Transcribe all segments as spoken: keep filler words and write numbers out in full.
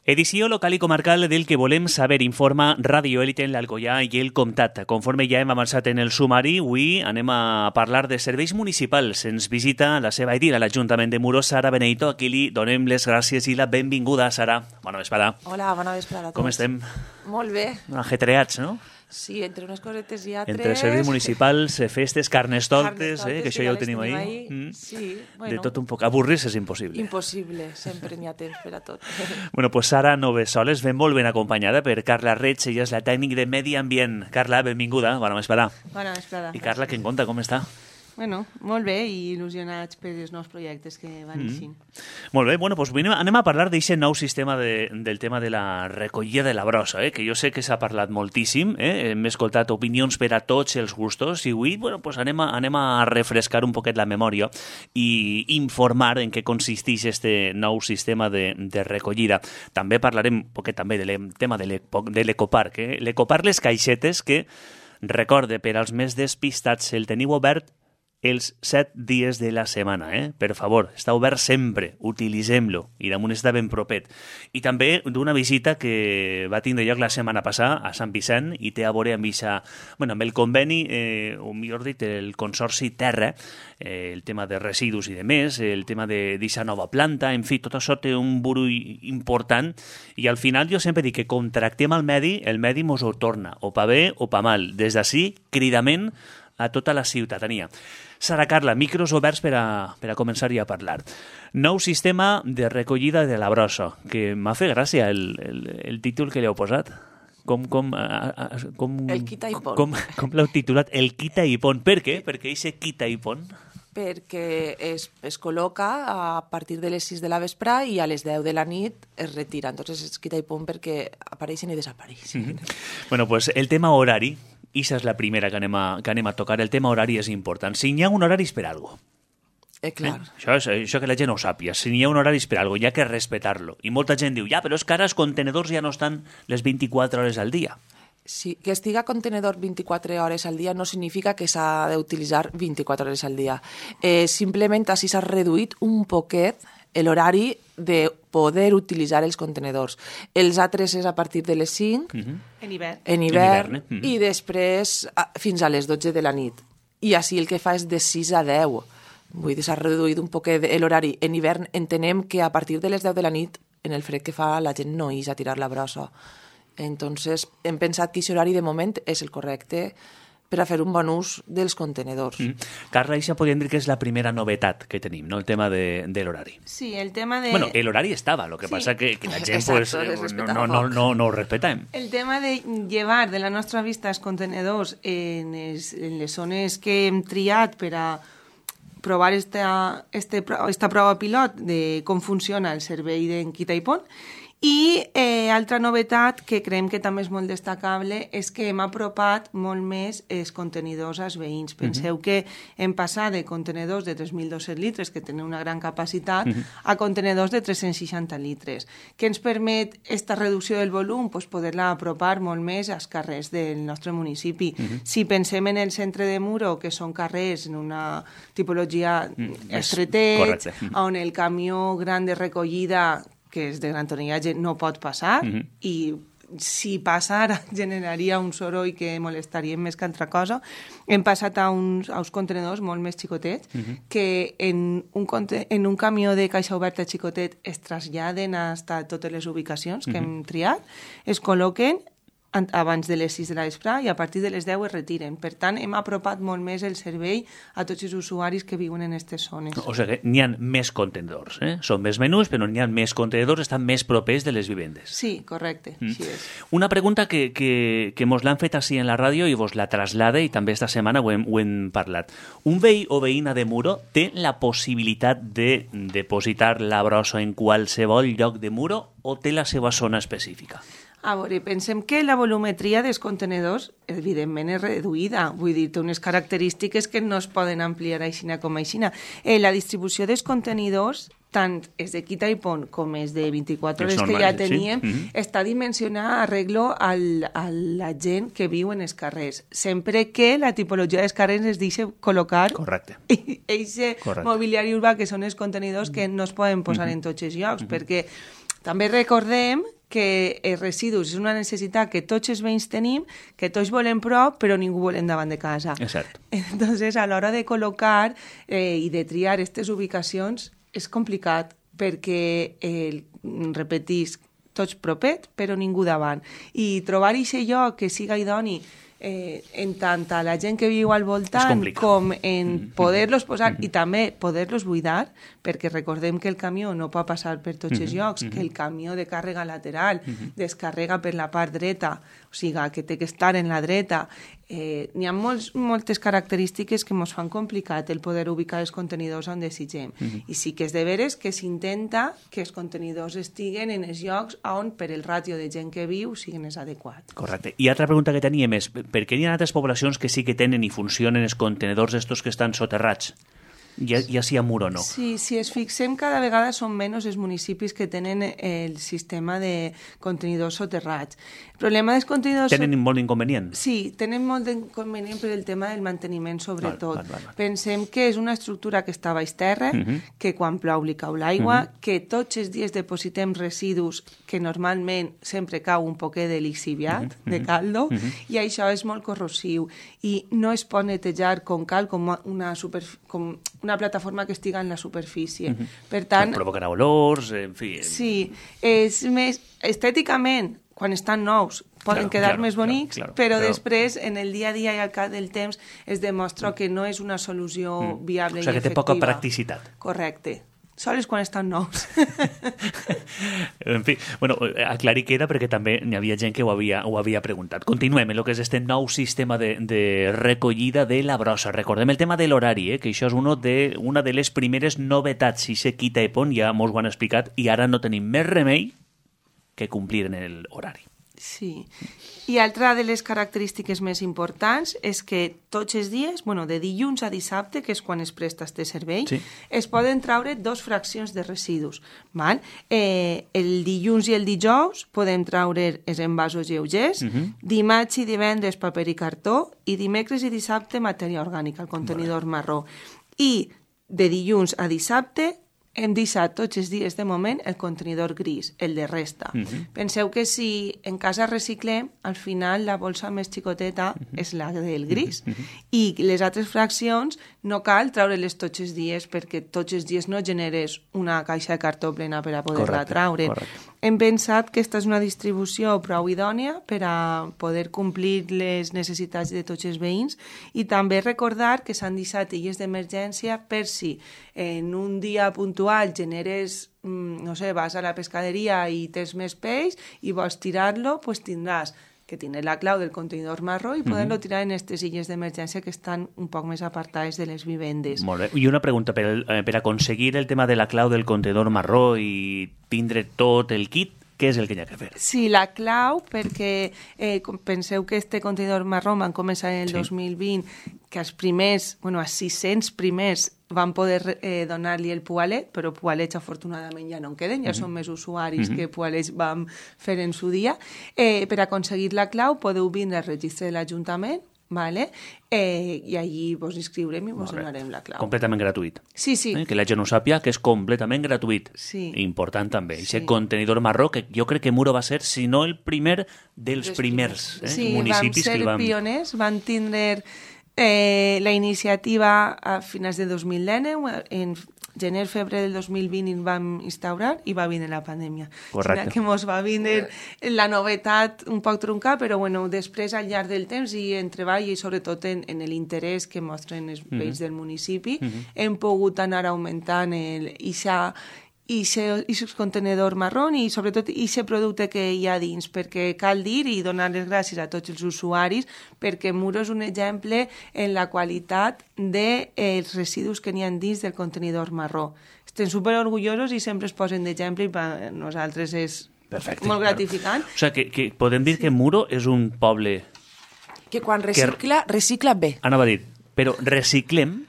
Edició local i comarcal del que volem saber, informa Ràdio Élite en l'Alcoià i el Comtat. Conforme ja hem avançat en el sumari, avui anem a parlar de serveis municipals. Ens visita la seva edila, l'Ajuntament de Muro, Sara Beneito. Aquí li donem les gràcies i la benvinguda, Sara. Bona vesprada. Hola, bona vesprada a tots. Com estem? Molt bé. Ajetreats, no? Sí, entre unes cosetes i altres... Entre serveis municipals, festes, carnestoltes, eh, que això ja ho tenim ahí. ahí. Mm. Sí, bueno. De tot un poc. Avorrir-se és impossible. Impossible, sempre n'hi ha temps per a tot. Bueno, pues Sara no ve soles, ben molt ben acompanyada per Carla Reig, ella és la tècnic de Medi Ambient. Carla, benvinguda, bona vesprada. Bona vesprada. I Carla, què en conta, com està? Bueno, molt bé i il·lusionats per els nous projectes que van eixint. Mm. Molt bé, bueno, doncs anem, anem a parlar d'aquest nou sistema de, del tema de la recollida de la brossa, eh? Que jo sé que s'ha parlat moltíssim, eh? Hem escoltat opinions per a tots els gustos i avui bueno, doncs anem, a, anem a refrescar un poquet la memòria i informar en què consisteix este nou sistema de, de recollida. També parlarem un poquet també del tema de l'ecoparc, eh? L'ecoparc, les caixetes que, recorde, per als més despistats, el teniu obert els set dies de la setmana, eh? Per favor, està obert sempre, utilitzem-lo, i damunt està ben propet. I també d'una visita que va tindre lloc la setmana passada a Sant Vicent i té a veure amb, ixa, bueno, amb el conveni, eh, o millor dit, el Consorci Terra, eh, el tema de residus i de més, el tema d'aquesta nova planta, en fi, tot això té un burull important i al final jo sempre dic que contractem el medi, el medi mos ho torna, o pa bé o pa mal. Des d'ací, cridament a tota la ciutadania. Sara, Carla, micros oberts per a, per a començar-hi a parlar. Nou sistema de recollida de la brossa, que m'ha fet gràcia el, el, el títol que li heu posat. Com, com, a, a, com, el quita i pon. Com, com l'heu titulat? El quita i pon. Per què? Per què aquest quita i pon? Perquè es, es col·loca a partir de les sis de la vespre i a les deu de la nit es retira. Entonces es quita i pon perquè apareixen i desapareixen. Mm-hmm. Bueno, pues el tema horari, i això és la primera que anem, a, que anem a tocar. El tema horari és important. Si n'hi ha un horari és per alguna cosa. Eh, clar. Eh? Això, és, això que la gent ho sàpia. Si n'hi ha un horari és per alguna cosa, hi ha que respectar-lo. I molta gent diu, ja, però és que ara els contenedors ja no estan les vint-i-quatre hores al dia. Sí, que estiga contenedor vint-i-quatre hores al dia no significa que s'ha d'utilitzar vint-i-quatre hores al dia. Eh, simplement així s'ha reduït un poquet l'horari de poder utilitzar els contenedors. Els altres és a partir de les cinc, uh-huh. En hivern, en hivern, en hivern eh? uh-huh. i després a, fins a les dotze de la nit. I així el que fa és de sis a deu. Vull dir, s'ha reduït un poquet l'horari. En hivern entenem que a partir de les deu de la nit, en el fred que fa, la gent no ix a tirar la brossa. Entonces, hem pensat que aquest horari de moment és el correcte per a fer un bon ús dels contenedors. Mm. Carla, això podríem dir que és la primera novetat que tenim, no? El tema de, de l'horari. Sí, el tema de... Bueno, l'horari estava, lo que sí. passa que, que la gent Exacto, pues, no, no, no, no, no ho respetem. El tema de llevar de la nostra vista els contenedors en, es, en les zones que hem triat per a provar esta, este, esta prova pilot de com funciona el servei d'en Quita i Pon. I eh, altra novetat que creiem que també és molt destacable és que hem apropat molt més els contenidors als veïns. Penseu uh-huh. que hem passat de contenedors de tres mil dos-cents litres, que tenen una gran capacitat, uh-huh. a contenedors de tres-cents seixanta litres. Què ens permet aquesta reducció del volum? Pues poder-la apropar molt més als carrers del nostre municipi. Uh-huh. Si pensem en el centre de Muro, que són carrers en una tipologia uh-huh. estretets, uh-huh. on el camió gran de recollida que és de gran tonellatge, no pot passar, uh-huh. i si passara generaria un soroll que molestaria més que altra cosa. Hem passat a uns, a uns contenedors molt més xicotets, uh-huh. que en un, en un camió de caixa oberta xicotet es traslladen a totes les ubicacions que uh-huh. hem triat, es col·loquen abans de les sis de la vespre i a partir de les deu es retiren. Per tant, hem apropat molt més el servei a tots els usuaris que viuen en aquestes zones. O sigui, n'hi ha més contenedors, eh? Són més menús, però n'hi ha més contenedors, estan més propers de les vivendes. Sí, correcte, mm. així és. Una pregunta que, que, que mos l'han fet així en la ràdio i vos la traslada, i també esta setmana ho hem, ho hem parlat. Un veí o veïna de Muro té la possibilitat de depositar la brossa en qualsevol lloc de Muro o té la seva zona específica? A veure, pensem que la volumetria dels contenedors, evidentment, és reduïda. Vull dir, té unes característiques que no es poden ampliar aixina com aixina. Eh, la distribució dels contenidors, tant és de Quita i Pon com és de vint-i-quatre hores que ja teníem, sí? mm-hmm. està dimensionada arreglo al, a la gent que viu en els carrers. Sempre que la tipologia dels carrers es deixa col·locar aquest mobiliari urbà, que són els contenidors que no es poden posar mm-hmm. en tots els llocs, mm-hmm. perquè també recordem que els residus és una necessitat que tots els veïns tenim, que tots volem prop, però ningú volem davant de casa. Exacte. Entonces, a l'hora de col·locar eh, i de triar aquestes ubicacions és complicat perquè, eh, repetisc, tots propet, però ningú davant. I trobar aquest lloc que siga idoni eh, en tant a la gent que viu al voltant com en poder-los posar mm -hmm. i també poder-los buidar, perquè recordem que el camió no pot passar per tots els llocs, mm -hmm. que el camió de càrrega lateral mm -hmm. descarrega per la part dreta, o sigui, que té que estar en la dreta. Eh, n'hi ha molts, moltes característiques que ens fan complicat el poder ubicar els contenidors on desitgem. Mm -hmm. I sí que és de veres que s'intenta que els contenidors estiguen en els llocs on per el ràtio de gent que viu siguin els adequats. Correcte. I altra pregunta que teníem és, per què hi ha altres poblacions que sí que tenen i funcionen els contenidors estos que estan soterrats? Ja, ja sigui a mur o no. Sí, si es fixem, cada vegada són menys els municipis que tenen el sistema de contenidors soterrats. El problema dels contenidors... Tenen so... molt d'inconvenient? Sí, tenen molt d'inconvenient per el tema del manteniment, sobretot. Val, val, val. Pensem que és una estructura que està a baix terra, uh -huh. que quan plou li cau l'aigua, uh -huh. que tots els dies depositem residus que normalment sempre cau un poquet de lixiviat, uh -huh. de caldo, uh -huh. i això és molt corrosiu. I no es pot netejar com cal, com una superfície... Com una plataforma que estiga en la superfície. Uh -huh. Per tant... Provocarà olors, en fi... Sí, és més... Estèticament, quan estan nous, poden claro, quedar claro, més bonics, claro, claro, però, però després, en el dia a dia i al cap del temps, es demostra que no és una solució mm. viable i efectiva. O sigui, que té poca practicitat. Correcte. Sols quan estan nous. En fi, bueno, aclarir queda perquè també n'hi havia gent que ho havia, ho havia preguntat. Continuem en el que és este nou sistema de, de recollida de la brossa. Recordem el tema de l'horari, eh, que això és uno de, una de les primeres novetats. Si se quita i pon, ja mos ho han explicat, i ara no tenim més remei que complir en l'horari. Sí. I altra de les característiques més importants és que tots els dies, bueno, de dilluns a dissabte, que és quan es presta este servei, sí. es poden traure dos fraccions de residus. Val? Eh, el dilluns i el dijous podem traure els envasos lleugers, uh -huh. dimarts i divendres paper i cartó, i dimecres i dissabte matèria orgànica, el contenidor vale. marró. I de dilluns a dissabte hem deixat tots els dies de moment el contenidor gris, el de resta. Uh -huh. Penseu que si en casa reciclem, al final la bolsa més xicoteta uh -huh. és la del gris. Uh -huh. I les altres fraccions no cal treure-les tots els dies perquè tots els dies no generes una caixa de cartó plena per a poder-la traure. Correcte. Hem pensat que aquesta és una distribució prou idònia per a poder complir les necessitats de tots els veïns i també recordar que s'han deixat illes d'emergència per si en un dia puntual generes, no sé, vas a la pescaderia i tens més peix i vols tirar-lo, pues tindràs que tindrà la clau del contenidor marró i poder-lo tirar en aquestes illes d'emergència que estan un poc més apartades de les vivendes. Molt bé. I una pregunta, per, eh, per aconseguir el tema de la clau del contenidor marró i tindre tot el kit, què és el que hi ha que fer? Sí, la clau, perquè eh, penseu que este contenidor marró van començar en el sí. dos mil vint, que els primers, bueno, els sis-cents primers van poder eh, donar-li el poalet, però poalets afortunadament ja no en queden, ja mm-hmm. són més usuaris mm-hmm. que poalets vam fer en su dia. Eh, per aconseguir la clau podeu vindre al registre de l'Ajuntament, vale? eh, i allí vos inscriurem i vos donarem la clau. Completament gratuït. Sí, sí. Eh? Que la gent ho sàpia, que és completament gratuït. Sí. Important també. Sí. Aquest contenidor marró, que jo crec que Muro va ser, si no el primer, dels Des primers eh? sí, municipis que el van... Sí, vam ser pioners, van tindre eh, la iniciativa a finals de dos mil dinou, en gener, febrer del dos mil vint el vam instaurar i va vindre la pandèmia. Correcte. Que mos va vindre la novetat un poc truncada, però bueno, després al llarg del temps i en treball i sobretot en, en l'interès que mostren els veïns mm -hmm. del municipi, mm -hmm. hem pogut anar augmentant el, ixa, i aquest contenidor marró i sobretot aquest producte que hi ha dins, perquè cal dir i donar les gràcies a tots els usuaris perquè Muro és un exemple en la qualitat dels de, eh, residus que n'hi ha dins del contenidor marró. Estem superorgullosos i sempre es posen d'exemple i per nosaltres és Perfecte, molt gratificant. Claro. O sigui, que, que podem dir que Muro és un poble... Que quan recicla, que... recicla bé. Anava a dir, però reciclem...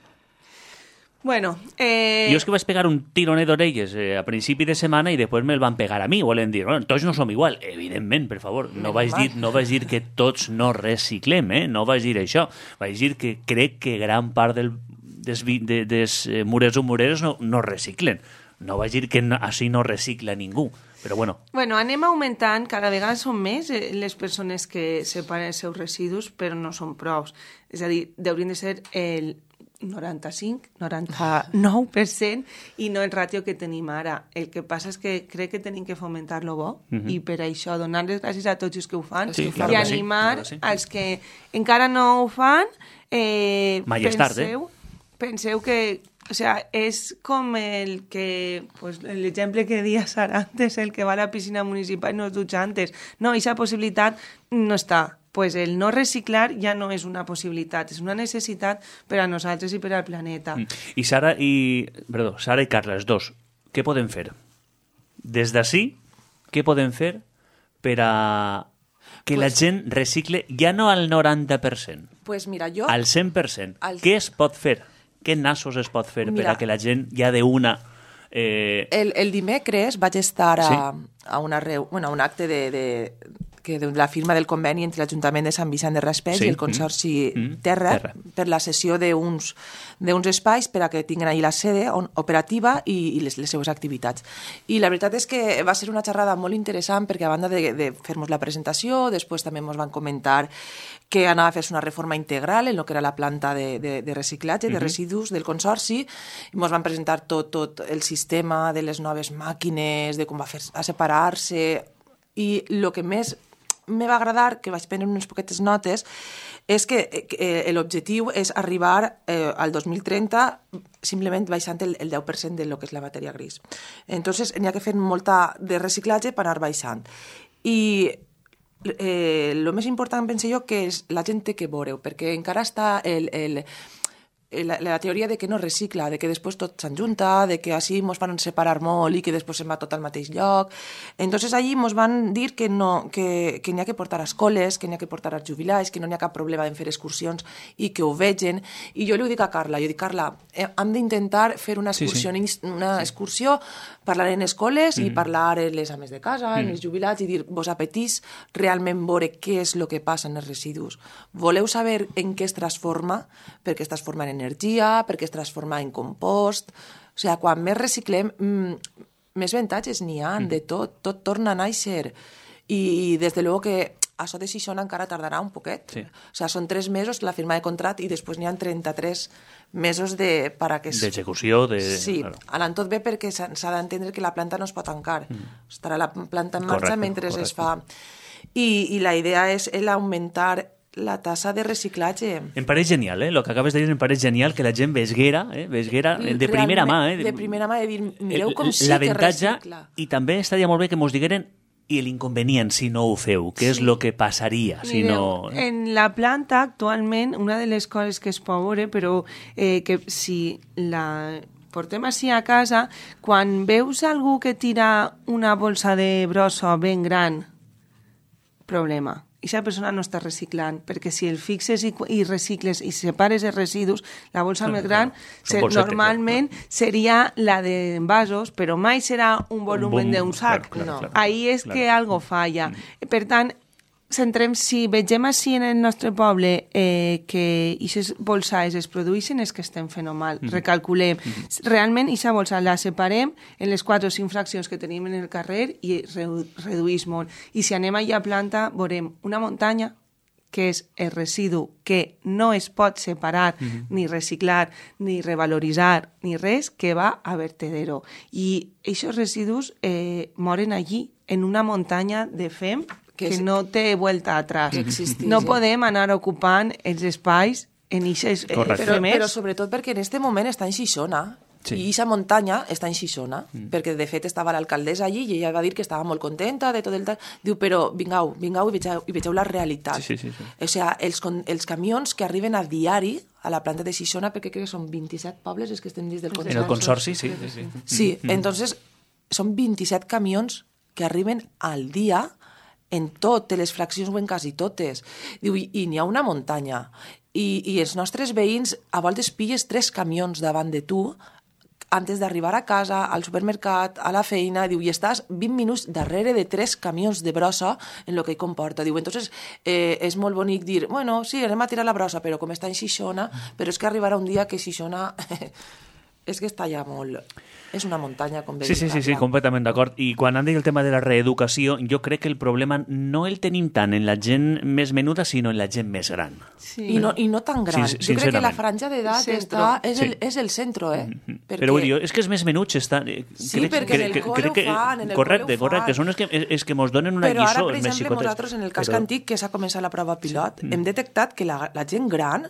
Bueno, eh... Jo és que vaig pegar un tironet d'orelles eh, a principi de setmana i després me'l van pegar a mi. Volen dir, bueno, tots no som igual. Evidentment, per favor, no vaig dir, no vaig dir que tots no reciclem, eh? No vaig dir això. Vaig dir que crec que gran part del, des, de, des eh, murers o mureres no, no reciclen. No vaig dir que no, així no recicla ningú. però bueno. Bueno, anem augmentant, cada vegada són més les persones que separen els seus residus, però no són prous. És a dir, haurien de ser el noranta-cinc, noranta-nou per cent i no el ràtio que tenim ara. El que passa és que crec que tenim que fomentar-lo bo uh-huh. i per això donar les gràcies a tots els que ho fan sí, i claro animar sí, claro sí. als que encara no ho fan. Eh, Mai és tard, penseu, eh? Penseu que o sea, és com el que pues, l'exemple que dia Sara antes, el que va a la piscina municipal i no es dutxa antes. No, aquesta possibilitat no està. Pues el no reciclar ja no és una possibilitat, és una necessitat per a nosaltres i per al planeta. Mm. I Sara i... Perdó, Sara i Carla, els dos, què podem fer? Des d'ací, què podem fer per a que pues, la gent recicle ja no al noranta per cent, pues mira, jo... al cent per cent? Al... Què es pot fer? Què nassos es pot fer mira, per a que la gent ja d'una... Eh... El, el dimecres vaig estar a, sí? a, una reu... bueno, a un acte de... de... que de la firma del conveni entre l'Ajuntament de Sant Vicent de Raspall sí. i el Consorci mm. Terra, Terra per la cessió d'uns espais per a que tinguin allà la sede on, operativa i, i les, les seues activitats. I la veritat és que va ser una xerrada molt interessant perquè a banda de, de fer-nos la presentació, després també ens van comentar que anava a fer-se una reforma integral en el que era la planta de, de, de reciclatge, de residus del Consorci, i ens van presentar tot, tot el sistema de les noves màquines, de com va fer a separar-se, i el que més me va agradar, que vaig prendre unes poquetes notes, és que eh, l'objectiu és arribar eh, al dos mil trenta simplement baixant el, el deu per cent de lo que és la matèria gris. Entonces, n'hi ha que fer molta de reciclatge per anar baixant. I eh, el més important, penso jo, que és la gent té que veure-ho, perquè encara està el... el La, la teoria de que no recicla, de que després tot s'enjunta, de que així mos van separar molt i que després se'n va tot al mateix lloc. Entonces allí mos van dir que no, que, que n'hi ha que portar a escoles, que n'hi ha que portar als jubilats, que no n'hi ha cap problema en fer excursions i que ho vegen. I jo li ho dic a Carla, jo dic, Carla, eh, hem d'intentar fer una excursió, sí, sí. una excursió, parlar en escoles mm. i parlar en les ames de casa, mm. en els jubilats i dir, vos apetís realment veure què és el que passa en els residus. Voleu saber en què es transforma? Perquè es transforma en energia, perquè es transforma en compost. O sigui, quan més reciclem, mmm, més avantatges n'hi ha mm. de tot, tot torna a néixer. I, i des de luego que això de Xixona encara tardarà un poquet. Sí. O sigui, són tres mesos la firma de contracte i després n'hi ha trenta-tres mesos de... para que es... d'execució. De... Sí, claro. Anant tot bé perquè s'ha d'entendre que la planta no es pot tancar. Mm. Estarà la planta en marxa correcte, mentre correcte. Es fa... I, I la idea és l'augmentar la tassa de reciclatge. Em pareix genial, eh? El que acabes de dir em pareix genial, que la gent vesguera, eh? vesguera de primera mà. Eh? De primera mà, de dir, mireu com sí que recicla. I també estaria molt bé que mos digueren i l'inconvenient si no ho feu, què és el sí. que passaria si Mireu, no... En la planta, actualment, una de les coses que es pot veure, però eh, que si la portem així a casa, quan veus algú que tira una bolsa de brossa ben gran, problema. I aquesta persona no està reciclant, perquè si el fixes i, i recicles i separes els residus, la bolsa més gran se, normalment seria la d'envasos, però mai serà un volumen d'un sac. Claro, claro, no. claro, Ahí és claro. que algo falla. Mm. Per tant, centrem, si vegem així en el nostre poble eh, que aquestes bolsades es produeixen, és que estem fent mal. Mm. Recalculem. Mm. Realment, aquesta bolsa la separem en les quatre o cinc fraccions que tenim en el carrer i redu reduïs molt. I si anem allà a planta, veurem una muntanya, que és el residu que no es pot separar, mm. ni reciclar, ni revaloritzar, ni res, que va a vertedero. I aquests residus eh, moren allí, en una muntanya de fem, que, que no té vuelta atrás. No podem anar ocupant els espais en aquestes eh, però, però sobretot perquè en aquest moment està en Xixona. Sí. I aquesta muntanya està en Xixona, mm. perquè de fet estava l'alcaldessa allí i ella va dir que estava molt contenta de tot el tal. Diu, però vingau, vingau i vegeu, i vegeu la realitat. Sí, sí, sí, sí. O sigui, els, els camions que arriben a diari a la planta de Xixona, perquè crec que són vint-i-set pobles els que estem dins del consorci. En el consorci, sí. Sí, sí. sí mm. entonces són vint-i-set camions que arriben al dia en totes les fraccions o en quasi totes. Diu, i, i n'hi ha una muntanya. I, I els nostres veïns a voltes pilles tres camions davant de tu antes d'arribar a casa, al supermercat, a la feina, diu, i estàs vint minuts darrere de tres camions de brossa en el que hi comporta. Diu, entonces eh, és molt bonic dir, bueno, sí, anem a tirar la brossa, però com està en Xixona, però és que arribarà un dia que Xixona és que està ja molt... És una muntanya, com bé Sí, sí, sí, sí, completament d'acord. I quan han dit el tema de la reeducació, jo crec que el problema no el tenim tant en la gent més menuda, sinó en la gent més gran. Sí. I, no, I no tan gran. Sí, jo crec que la sincerament. franja d'edat Centro. està... És, Sí. el, és el centre, eh? Mm-hmm. Perquè... Però vull dir, és que els més menuts estan... Sí, perquè en el col·le ho fan, en el correcte, col·le ho correcte, fan. són els que, és que mos donen una Però ara, lliçó, per els més exemple, xicotets. nosaltres, en el casc Però- antic, que s'ha començat la prova pilot, hem detectat que la, la gent gran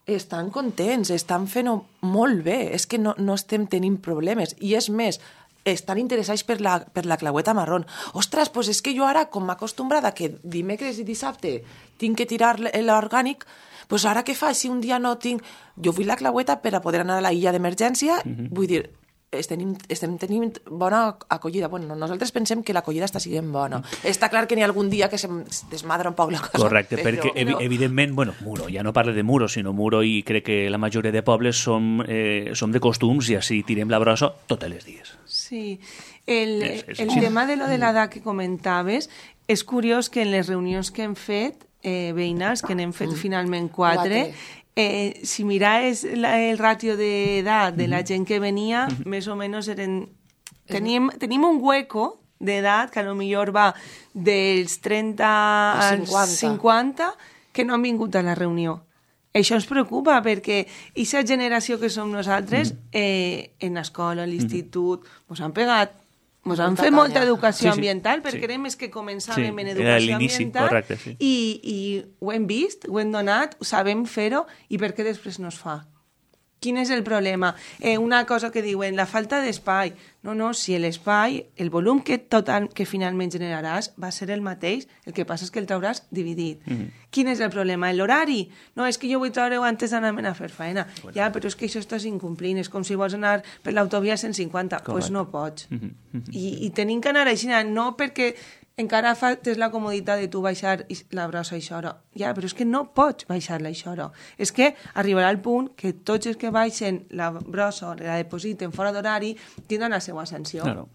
estan contents, estan fent-ho molt bé, és que no, no estem tenint problemes. I és més, estan interessats per la, per la claueta marrón. Ostres, doncs és que jo ara, com m'acostumbrada que dimecres i dissabte tinc que tirar l'orgànic, doncs ara què faig si un dia no tinc... Jo vull la claueta per a poder anar a la illa d'emergència, mm-hmm. vull dir, estem, estem tenint bona acollida. Bueno, nosaltres pensem que l'acollida està sent bona. Mm. Està clar que n'hi ha algun dia que se desmadra un poc la cosa. Correcte, però, perquè evi no. evidentment, bueno, muro, ja no parlo de muro, sinó muro, i crec que la majoria de pobles som, eh, som de costums i així tirem la brossa tots els dies. Sí, el, És- és el així. tema de lo de l'edat que comentaves, és curiós que en les reunions que hem fet, eh, veïnals, que n'hem fet finalment quatre, eh, si miraves la, el ràtio d'edat de la gent que venia, més o menys eren... Tenim, tenim un hueco d'edat que a lo millor va dels trenta Als als cinquanta. cinquanta que no han vingut a la reunió. Això ens preocupa perquè aquesta generació que som nosaltres, eh, en l'escola, a l'institut, ens han pegat, ens han Molta fet canya. molta educació Sí, sí, ambiental, perquè sí. érem els que començàvem Sí, en era educació l'inici, ambiental correcte, sí. i, i ho hem vist, ho hem donat, sabem fer-ho, i per què després no es fa? Quin és el problema? Eh, una cosa que diuen, la falta d'espai. No, no, si l'espai, el volum que total que finalment generaràs va ser el mateix, el que passa és que el trauràs dividit. Mm -hmm. Quin és el problema? L'horari? No, és que jo vull treure-ho antes d'anar-me'n a fer feina. Bueno. Ja, però és que això estàs incomplint, és com si vols anar per l'autovia a cent cinquanta. Doncs pues no pots. Mm -hmm. I, I tenim que anar així, no perquè encara fa, tens la comoditat de tu baixar la brossa a això hora. Ja, però és que no pots baixar-la a això hora. És que arribarà el punt que tots els que baixen la brossa o la depositen fora d'horari tindran la seva sanció. Claro.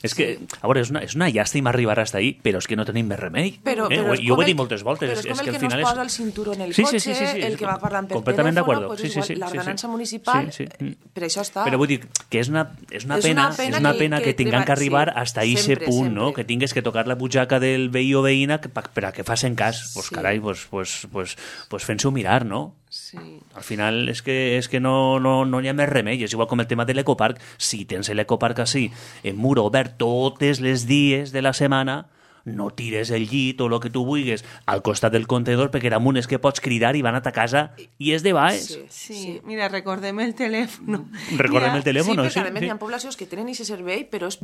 És que, a veure, és una, és una llàstima arribar hasta ahí, però és que no tenim més remei. Però, eh? però és Jo ho com he dit el- moltes voltes. Però és com és el que, que, al no final es és... posa el cinturó en el Sí, cotxe, sí, sí, sí, sí. el que va parlant per Completament telèfon, d'acord. pues Sí, sí, igual, sí, l'ordenança sí, sí. municipal, Sí, sí. eh, per això està. Però vull dir que és una, és una És pena, una pena és una que- pena que, que tinguem que treba- arribar sí, hasta ese sempre, punt, no? sempre. Que tingues que tocar la butxaca del veí o veïna que, pa- per a que facin cas. Pues Sí. carai, pues, pues, pues, pues fent-s'ho mirar, no? Sí. Al final és que, és que no, no, no hi ha més remei. És igual com el tema de l'ecoparc. Si tens l'ecoparc així, en muro obert totes les dies de la setmana, no tires el llit o el que tu vulguis al costat del contenedor, perquè damunt és que pots cridar i van a ta casa i és de baix. Sí, Sí, sí. mira, recordem el telèfon. Recordem Mira, el telèfon, Sí, sí? perquè a més sí. hi ha poblacions que tenen aquest servei, però és,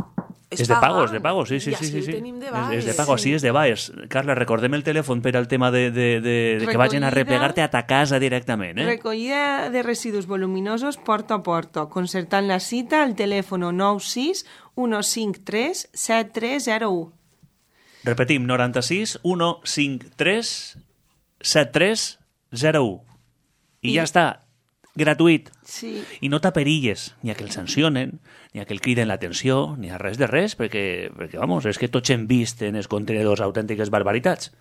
És de pagant. pagos, de pagos, sí, sí, I sí. així sí, ho sí. tenim de És, baix. és de pagos, sí, és de baix. Carla, recordem el telèfon per al tema de, de, de, de que vagin a Recollida. replegar-te a ta casa directament, eh? Recollida de residus voluminosos porta a porta, concertant la cita al telèfon nou sis u cinc tres set tres zero u. Repetim, noranta-sis u cinquanta-tres setanta tres zero u. I, I- ja està, gratuït. Sí. I no t'aperilles, ni a que el sancionen, ni a que el criden l'atenció, ni a res de res, perquè, perquè vamos, és que tots hem vist en els contenedors autèntiques barbaritats.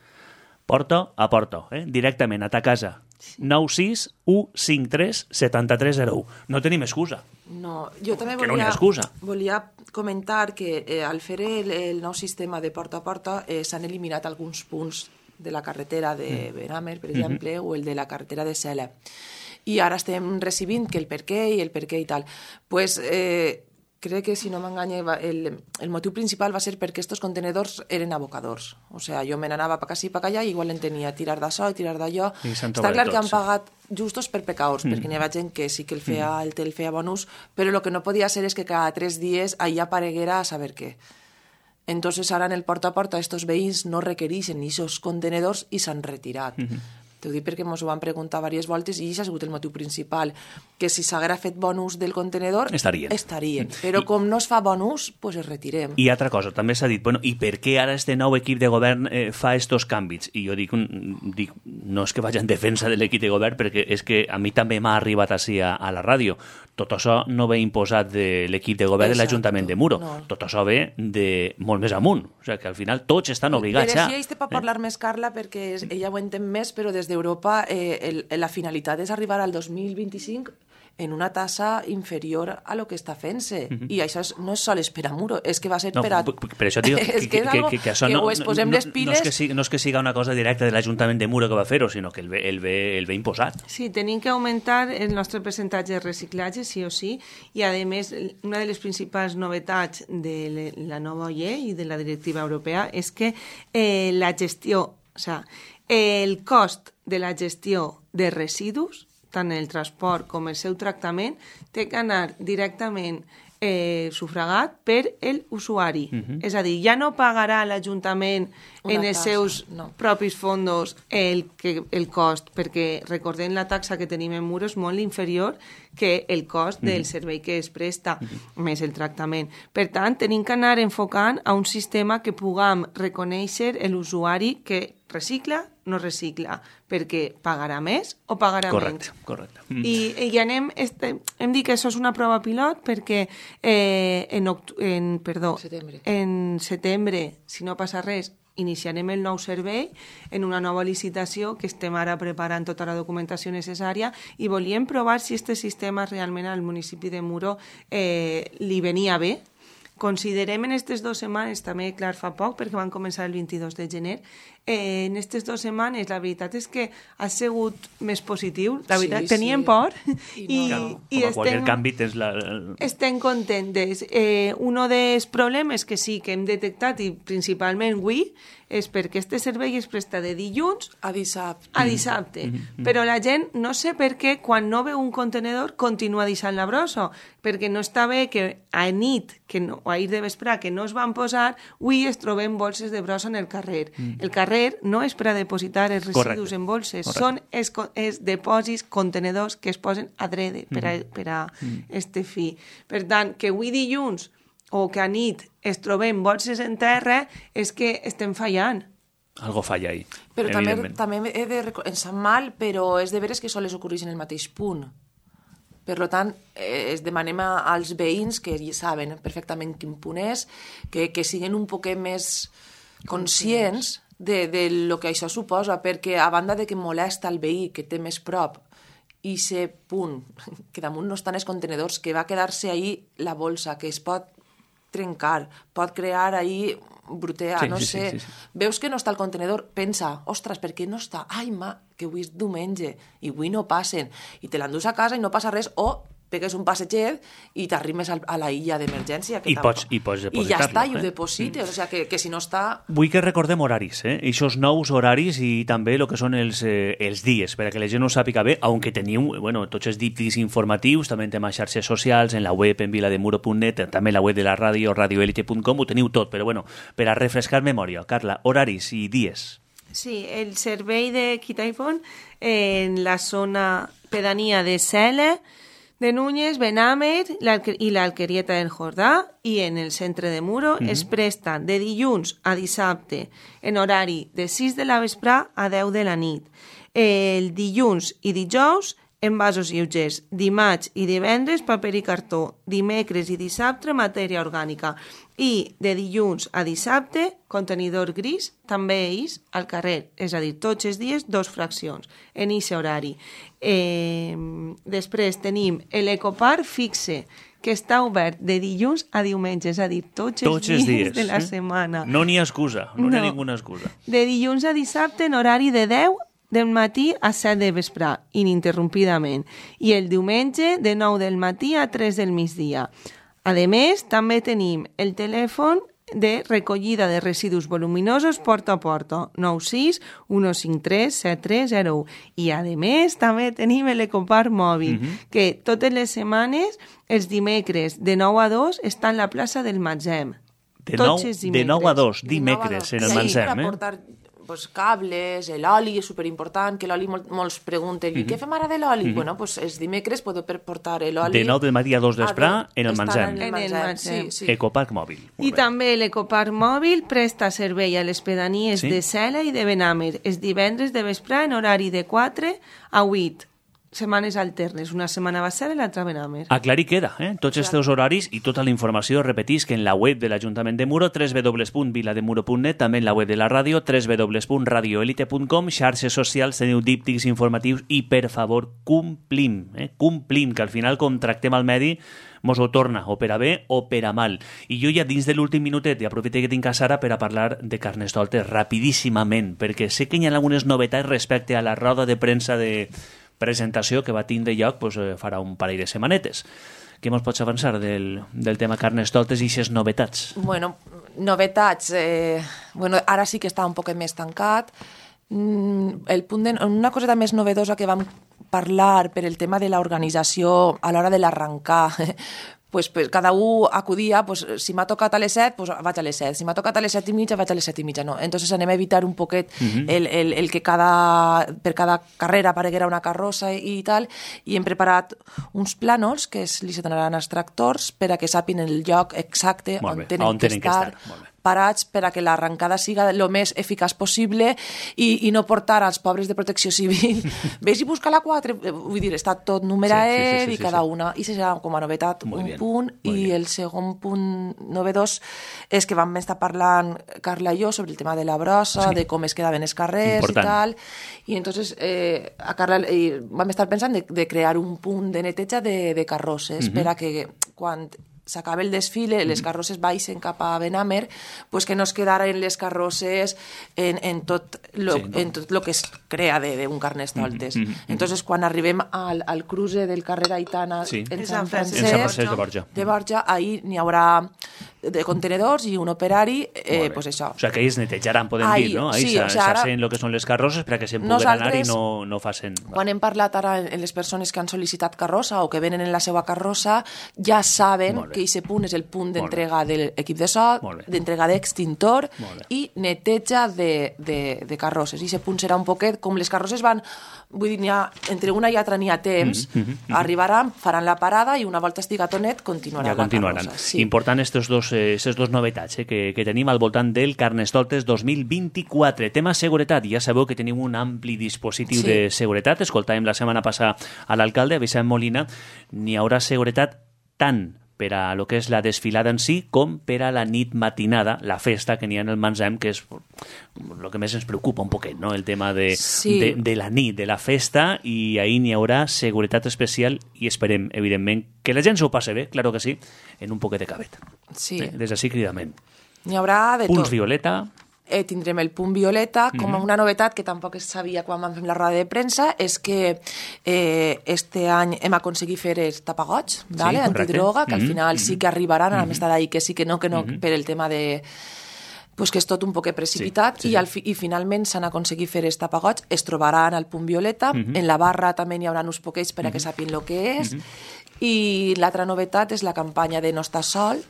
Porta a porta, eh? Directament a ta casa. nou sis u cinquanta-tres setanta tres zero u. No tenim excusa. No, jo també Que no n'hi ha volia, excusa. volia comentar que eh, al fer el, el nou sistema de porta a porta eh, s'han eliminat alguns punts de la carretera de Benàmer, per exemple, o el de la carretera de Sela. I ara estem recibint que el per què i el per què i tal. Pues, eh, crec que, si no m'enganya, va- el, el motiu principal va ser perquè estos contenedors eren abocadors. O sea, jo me n'anava pa acá i pa allà i igual en tenia tirar d'això i tirar d'allò. I s'han Està trobat clar que tots, han sí. pagat justos per pecadors, mm. perquè n'hi havia gent que sí que el feia, mm. el, el feia bon ús, però el que no podia ser és que cada tres dies allà apareguera a saber què. Entonces ara en el porta a porta estos veïns no requereixen aquests contenedors i s'han retirat. Mm -hmm. T'ho dic perquè ens ho van preguntar diverses voltes i això ha sigut el motiu principal, que si s'haguera fet bon ús del contenedor Estarien. estarien. Però I- com no es fa bon ús, pues es retirem. I altra cosa, també s'ha dit, bueno, i per què ara este nou equip de govern eh, fa estos canvis? I jo dic, mm, dic, no és que vagi en defensa de l'equip de govern, perquè és que a mi també m'ha arribat així a, a la ràdio. Tot això no ve imposat de l'equip de govern de Exacto, l'Ajuntament de Muro. no. Tot això ve de molt més amunt. O sigui, que al final tots estan obligats Però a... sí, ells te pot parlar més, Carla, perquè és, ella ho entén més, però des d'Europa eh, el, la finalitat és arribar al dos mil vint-i-cinc en una tassa inferior a lo que està fent-se. Mhm. I això és, no és sols per a Muro, és que va ser No, per a... p- p- per això dic que, és que, que és que, algo que, que això que no, o es no, posem no, les piles... no, és que sigui, no és que siga una cosa directa de l'Ajuntament de Muro que va fer-ho, sinó que el ve, el ve, el ve imposat. Sí, tenim que augmentar el nostre percentatge de reciclatge, sí o sí, i a més, una de les principals novetats de la nova llei i de la directiva europea és que eh, la gestió, o sea, el cost de la gestió de residus, tant el transport com el seu tractament, té que anar directament eh, sufragat per el usuari. Uh-huh. És a dir, ja no pagarà l'Ajuntament en els seus no. propis fondos el, que, el cost, perquè recordem la taxa que tenim en Muro és molt inferior que el cost del uh-huh. servei que es presta, uh-huh. més el tractament. Per tant, tenim que anar enfocant a un sistema que puguem reconèixer l'usuari que recicla, no recicla, perquè pagarà més o pagarà correcte, menys. Correcte, I, i anem, este, hem dit que això és una prova pilot perquè eh, en, oct en, perdó, setembre. en setembre, si no passa res, iniciarem el nou servei en una nova licitació que estem ara preparant tota la documentació necessària i volíem provar si este sistema realment al municipi de Muro eh, li venia bé. Considerem en aquestes dues setmanes, també, clar, fa poc, perquè van començar el vint-i-dos de gener, eh, en aquestes dues setmanes la veritat és que ha sigut més positiu. La veritat, sí, teníem sí. por I, i, no. com i a qualsevol estem, canvi tens la... estem contentes. Eh, un dels problemes que sí que hem detectat, i principalment avui, és perquè este servei es presta de dilluns A dissabte. a dissabte. Mm -hmm. Però la gent no sé per què quan no veu un contenedor continua deixant la brossa, perquè no està bé que a nit que no, o a ir de vesprà que no es van posar, avui es trobem bolses de brossa en el carrer. Mm. El carrer no és per a depositar els residus Correcte. en bolses, Correcte. són els, els depòsits, contenedors que es posen adrede per a, per a mm. este fi. Per tant, que avui dilluns o que a nit es trobem bolses en terra, és que estem fallant. Algo falla ahí, Però també, evidentment. també he de... Em sap mal, però és de veres que sols ocorreix en el mateix punt. Per tant, eh, es demanem als veïns que ja saben perfectament quin punt és, que, que siguin un poquet més conscients de, de lo que això suposa, perquè a banda de que molesta el veí que té més prop i ser punt, que damunt no estan els contenedors, que va quedar-se ahí la bolsa, que es pot trencar, pot crear ahí brutea, sí, no sí, sé. Sí, sí, sí. Veus que no està el contenedor, pensa, ostres, per què no està? Ai, ma, que avui és diumenge i avui no passen. I te l'endús a casa i no passa res, o pegues un passeget i t'arrimes a la illa d'emergència. I pots, i pots depositar-lo. I ja està, i ho eh? deposites. O sigui, que, que si no està... Vull que recordem horaris, eh? Eixos nous horaris i també el que són els, eh, els dies, per a que la gent ho sàpiga bé, aunque teniu, bueno, tots els díptics informatius, també en temes xarxes socials, en la web en vilademuro punt net, també en la web de la ràdio, radioelite punt com, ho teniu tot, però bueno, per a refrescar memòria. Carla, horaris i dies. Sí, el servei de Quitaifon en la zona pedania de Cela, de Núñez, Benàmer i l'Alquerieta del Jordà, i en el centre de Muro mm-hmm. es presten de dilluns a dissabte en horari de sis de la vesprà a deu de la nit. El dilluns i dijous en vasos lleugers, dimarts i divendres paper i cartó, dimecres i dissabte matèria orgànica, i de dilluns a dissabte contenidor gris, també ells al carrer, és a dir, tots els dies dos fraccions en aquest horari. Eh, després tenim l'Ecopark fixe, que està obert de dilluns a diumenge, és a dir, tots, tots els, els dies, dies de la eh? setmana. No n'hi ha excusa, no, no. No. n'hi ha ninguna excusa. De dilluns a dissabte en horari de deu del matí a set de vesprà, ininterrompidament, i el diumenge de nou del matí a tres del migdia. A més, també tenim el telèfon de recollida de residus voluminosos porta a porta, nou sis u cinc tres set tres zero u. I, a més, també tenim l'Ecopark mòbil, mm-hmm. que totes les setmanes, els dimecres de nou a dos, està en la plaça del Matzem. De nou, de nou a dos, dimecres, en el Matzem. Per portar pues, cables, l'oli és superimportant, que l'oli mol, molts pregunten, mm-hmm. què fem ara de l'oli? Mm-hmm. Bueno, pues els dimecres podeu portar l'oli... De nou del matí a dos d'esprà en el Matzem. En el Matzem. Sí, sí. Ecopark mòbil. I també l'Ecopark mòbil presta servei a les pedanies sí? de Cela i de Benàmer, els divendres de vesprà en horari de quatre a vuit. setmanes alternes. Una setmana va ser i l'altra ben Amer. Aclarir queda, eh? Tots els teus horaris i tota la informació, repetís, que en la web de l'Ajuntament de Muro, w w w punt vilademuro punt net, també en la web de la ràdio, w w w punt radioelite punt com, xarxes socials, teniu díptics informatius i, per favor, complim, eh? complim, que al final, com tractem el medi, mos ho torna, o per a bé o per a mal. I jo ja dins de l'últim minutet, i aprofito que tinc a Sara per a parlar de Carnestoltes rapidíssimament, perquè sé que hi ha algunes novetats respecte a la roda de premsa de presentació que va tindre lloc pues, eh, farà un parell de setmanetes. Què mos pots avançar del, del tema Carnestoltes i aquestes novetats? Bueno, novetats... Eh, bueno, ara sí que està un poc més tancat. Mm, el punt de, una coseta més novedosa que vam parlar per el tema de l'organització a l'hora de l'arrencar, pues, pues, cada un acudia, pues, si m'ha tocat a les set, pues, vaig a les set, si m'ha tocat a les set i mitja, vaig a les set i mitja, no. Entonces anem a evitar un poquet uh-huh. el, el, el que cada, per cada carrera apareguera una carrossa i, i tal, i hem preparat uns plànols que es, li se donaran als tractors per a que sàpin el lloc exacte on tenen, on tenen que estar, que estar. Parats per a que l'arrencada siga el més eficaç possible i, i no portar als pobres de protecció civil vés i busca la quatre, vull dir, està tot numeraet sí, sí, sí, sí, i cada sí. una, i serà com a novetat Muy un bien. punt, Muy i bien. El segon punt novedós és que vam estar parlant Carla i jo sobre el tema de la brossa, sí. de com es quedaven els carrers Important. i tal, i entonces eh, a Carla eh, vam estar pensant de, de crear un punt de neteja de, de carrosses uh-huh. per a que quan s'acaba el desfile, les carrosses baixen cap a Benamer, pues que no es quedaren les carrosses en, en tot lo, sí, no? en tot lo que es crea d'un Carnestoltes. Mm -hmm. Entonces, quan arribem al, al cruce del carrer Aitana sí. en Sant Francesc, en Sant Francesc de Borja, de Borja ahí n'hi haurà de contenedors i un operari, eh, pues això. O sigui, que ells netejaran, podem ahí, dir, no? Ahí sí, s'hacen o sea, el que són les carrosses perquè se'n puguen anar i no, no facin... Quan hem parlat ara en les persones que han sol·licitat carrossa o que venen en la seva carrossa, ja saben que aquest punt és el punt d'entrega de l'equip de so, d'entrega d'extintor i neteja de, de, de carrosses. I aquest punt serà un poquet, com les carrosses van, vull dir, ha, entre una i altra n'hi ha temps, mm -hmm. arribaran, faran la parada i una volta estiga tonet continuaran, ja continuaran. la carrossa. Sí. Important estos dos, eh, estes dos novetats eh, que, que tenim al voltant del Carnestoltes dos mil vint-i-quatre. Tema seguretat, ja sabeu que tenim un ampli dispositiu sí. de seguretat. Escoltàvem la setmana passada a l'alcalde, a Vicent Molina. N'hi haurà seguretat tant per a lo que és la desfilada en si, com per a la nit matinada, la festa que n'hi ha en el Mansem, que és el que més ens preocupa un poquet, no? El tema de, sí. de, de la nit, de la festa, i ahir n'hi haurà seguretat especial i esperem, evidentment, que la gent s'ho passi bé, claro que sí, en un poquet de cabet. Sí. Eh? Des d'ací cridament. N'hi haurà de Punts tot. violeta... Eh, tindrem el punt violeta, com mm-hmm. una novetat que tampoc es sabia quan vam fer la roda de premsa, és que eh, este any hem aconseguit fer els tapagots, sí, vale? Antidroga, que mm-hmm. al final sí que arribaran, mm-hmm. a més d'ahir que sí que no, que no, mm-hmm. per el tema de... pues que és tot un poc precipitat, sí, sí, sí. I, al fi, i finalment s'han aconseguit fer els tapagots, es trobaran al punt violeta, mm-hmm. en la barra també n'hi haurà uns poquets per a que sàpien el que és, mm-hmm. i l'altra novetat és la campanya de No estàs sol,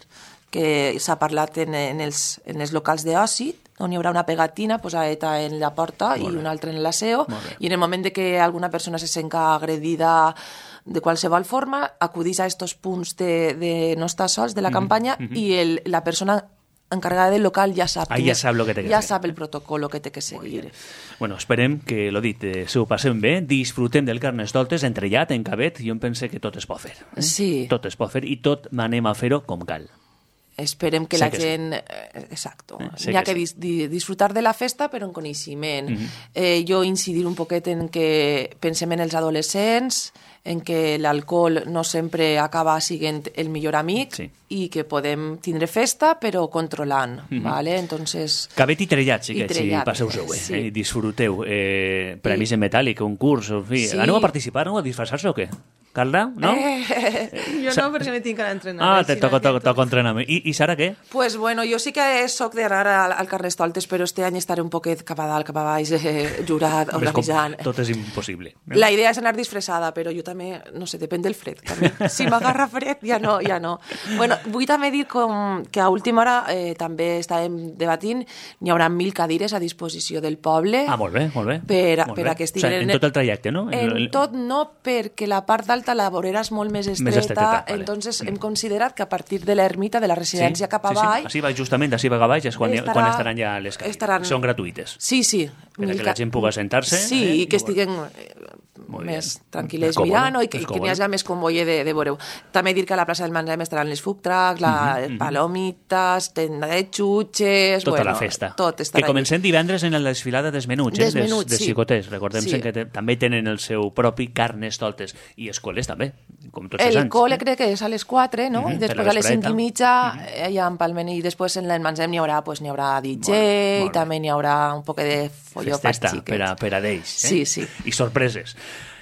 que s'ha parlat en, en, els, en els locals d'oci, on hi haurà una pegatina posada en la porta i una altra en l'aseo, i en el moment de que alguna persona se senta agredida de qualsevol forma, acudís a estos punts de, de No estàs sols de la campanya mm-hmm. i el, la persona encargada del local ja sap, ah, ja sap, lo que té que ja fer. sap el protocolo que té que seguir. Bueno, esperem que, lo dit, eh, s'ho passem bé, disfrutem del Carnestoltes, entrellat, en cabet, jo em pense que tot es pot fer. Eh? Sí. Tot es pot fer i tot anem a fer-ho com cal. Esperem que sé la que gent... Sí. Exacto. Eh, Hi ha que, que sí. dis, disfrutar de la festa, però en coneixement. Mm-hmm. eh, jo incidir un poquet en que pensem en els adolescents, en que l'alcohol no sempre acaba sent el millor amic sí. i que podem tindre festa, però controlant. Mm-hmm. ¿Vale? Entonces... Cabet i trellat, sí que si trellat, passeu-ho bé, sí. eh? Disfruteu. Eh, premis I... en metàl·lic, un curs, en fi. Sí. Aneu a participar, no? A disfressar-se o què? Carla, no? Eh, jo no, perquè me tinc que entrenar. Ah, te toca, toca, toca entrenament. I, I Sara, què? Pues bueno, jo sí que soc d'anar al, al Carnestoltes, però este any estaré un poquet cap a dalt, cap a baix, eh, jurat, organitzant. Tot és impossible. No? La idea és anar disfressada, però jo també, no sé, depèn del fred. També. Si m'agarra fred, ja no, ja no. Bueno, vull també dir com que a última hora eh, també estàvem debatint, n'hi haurà mil cadires a disposició del poble. Ah, molt bé, molt bé. Per, molt per bé. a que estiguen... O sigui, en tot el trajecte, no? En el... tot no, perquè la part d'alta la vorera és molt més estreta, més estreta vale. Entonces hem considerat que a partir de l'ermita, de la residència sí, cap a sí, baix... Sí. Així va justament, així va a baix, és quan, estarà, quan estaran ja les cadires. Estaran... Són gratuïtes. Sí, sí. Per a que la gent pugui sentar-se. Sí, eh? i que estiguen Molt més bien. tranquil·les Còmode, mirant no? i, que, és i que n'hi còmode. hagi més convoie de, de veureu. També dir que a la plaça del Mangem estaran les food trucks, la Mhm, mhm. palomites, tenda de xutxes... Tota bueno, la festa. Tot Que estarà allí. comencem divendres en la desfilada dels menuts, eh? Dels menuts, des, des sí. xicotets. Recordem Sí. que te, també tenen el seu propi carnestoltes. I escoles també, com tots els El anys. col·le eh? crec que és a les quatre, no? Mhm, I per després la a les cinc vespreta. i mitja eh, ja en Palmen i després en l'Enmansem n'hi haurà, pues, n'hi haurà D J Molt bé, molt i també n'hi haurà un poc de folló pels Festeta xiquets. per a, per a d'ells. Eh? Sí, sí. I sorpreses.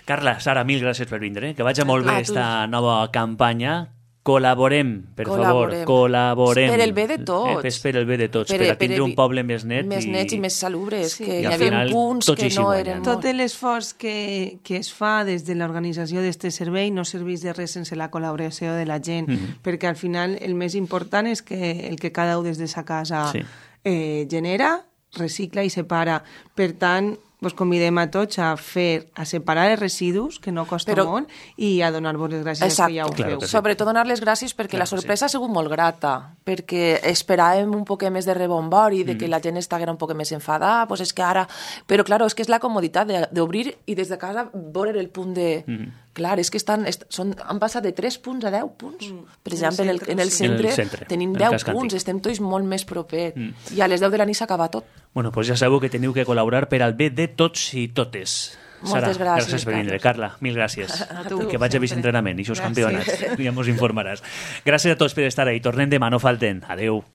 Carla, Sara, mil gràcies per vindre. Que vagi molt bé A tu. esta nova campanya. Col·laborem, per Col·laborem. favor, col·laborem. Per el bé de tots. Eh, per el bé de tots, per, Per- a tindre per un evi- poble més net. Més nets i més salubres, Sí. que I hi al havia final punts tots que hi no guanyen. eren... Tot l'esforç que, que es fa des de l'organització d'aquest servei no serveix de res sense la col·laboració de la gent, Mhm. perquè al final el més important és que el que cada un des de sa casa Sí. eh, genera, recicla i separa. Per tant, vos convidem a tots a fer, a separar els residus, que no costa Però- molt, i a donar-vos les gràcies Exacte. que ja ho Claro feu. que sí. Sobretot donar les gràcies perquè Clar la que sorpresa ha sigut molt grata, perquè esperàvem un poc més de rebombori, de que Mm. la gent estiguera un poc més enfadada, pues és que ara... Però, claro, és que és la comoditat de- d'obrir i des de casa veure el punt de... Mm. Clar, és que estan, est són, han passat de tres punts a deu punts. Mm. Per En exemple, en el, centre, en el sí. En el centre, centre, tenim en deu Casc punts, Antic. estem tots molt més propers. Mm. I a les deu de la nit s'acaba tot. Bueno, doncs ja sabeu que teniu que col·laborar per al bé de tots i totes. Moltes Sara, gràcies, gràcies per vindre. Carla, mil gràcies. A tu. I que vaig a vist entrenament i els Gràcies. campionats. Ja mos informaràs. Gràcies a tots per estar ahí. Tornem demà, no falten. Adeu.